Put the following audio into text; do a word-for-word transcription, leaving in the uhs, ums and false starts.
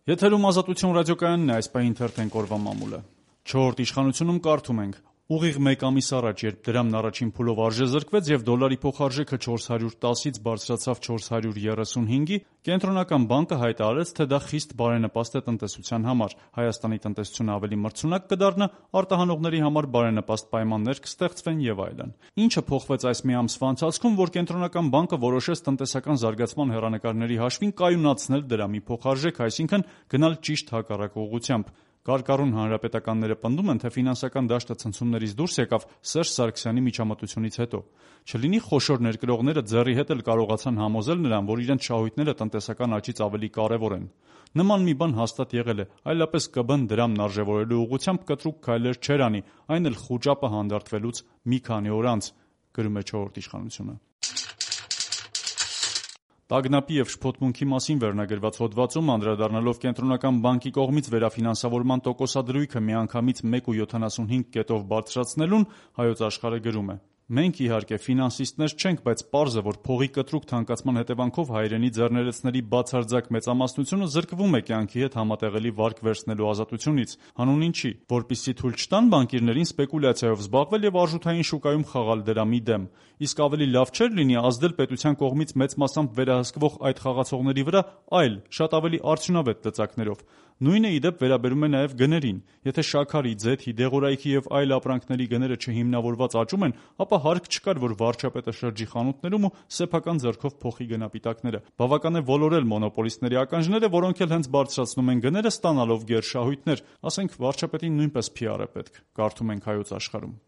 Եթերում Ազատություն ռադիոկայանն է, այս պահին թերթենք օրվա մամուլը։ Չորրորդ իշխանությունում կարդում ենք. ուղիղ մեկ ամիս առաջ, երբ դրամն առաջին փուլով արժեզրկվեց եւ դոլարի փոխարժեքը չորս հարյուր տասից բարձրացավ չորս հարյուր երեսունհինգի, Կենտրոնական բանկը հայտարարեց, թե դա խիստ բարենպաստ է տնտեսության համար, Հայաստանի տնտեսությունը ավելի մրցունակ կդառնա, արտահանողների համար բարենպաստ պայմաններ կստեղծվեն եւ այլն։ Ինչը փոխվեց այս մի ամսվա ընթացքում, որ Կենտրոնական բանկը որոշեց տնտեսական զարգացման հեռանկարների հաշվին կայունացնել դրամի փոխարժեքը, այսինքն գնալ ճիշտ հակառակ ուղղությամբ։ Կարկառուն հանրապետականները պնդում են, թե ֆինանսական դաշտը ցնցումներից դուրս եկավ Սերժ Սարգսյանի միջամտությունից հետո։ Չլինի խոշոր ներկրողները ձեռի հետ էլ կարողացան համոզել նրան, որ իրենց շահույթները տնտեսական աճից ավելի կարևոր են։ Նման մի բան հաստատ եղել է, այլապես ԿԲ-ն դրամն արժևորելու ուղղությամբ կտրուկ քայլեր չէր անի, այն էլ խուճապը հանդարտվելուց մի քանի օր անց, գրում է չորրորդ իշխանությունը։ Տագնապի եւ շփոթմունքի մասին վերնագրված հոդվածում, անդրադառնալով Կենտրոնական բանկի կողմից վերաֆինանսավորման տոկոսադրույքը միանգամից մեկ ու յոթանասունհինգ կետով բարձրացնելուն, Հայոց Աշխարհը գրում է. «Մենք, իհարկե, ֆինանսիստներ չենք, բայց պարզ է, որ փողի կտրուկ թանկացման հետևանքով հայրենի ձեռներեցների բացարձակ մեծամասնությունը զրկվում է կյանքի հետ համատեղելի վարկ վերցնելու ազատությունից։ Հանուն ինչի, որպեսզի թույլ չտան բանկիրներին սպեկուլյացիայով զբաղվել եւ արժութային շուկայում խաղալ դրամի դեմ։ Իսկ ավելի լավ չէր լինի ազդել պետության կողմից մեծ մասամբ վերահսկվող այդ խաղացողների վրա այլ, շատ ավելի արդյունավետ լծակներով։ Նույնը, ի դեպ, վերաբերում է նաեւ գներին։ Եթե շաքարի, ձեթի, դեղորայքի եւ այլ ապրանքների գները չհիմնավորված աճում են, ապա հարկ չկար, որ վարչապետը շրջի խանութներում ու սեփական ձեռքով փոխի գնապիտակները։ Բավական է ոլորել մոնոպոլիստների ականջները, որոնք էլ հենց բարձրացնում են գները, ստանալով գերշահույթներ։ Ասենք, վարչապետին նույնպես փի ար է պետք», կարդում ենք Հայոց Աշխարհում։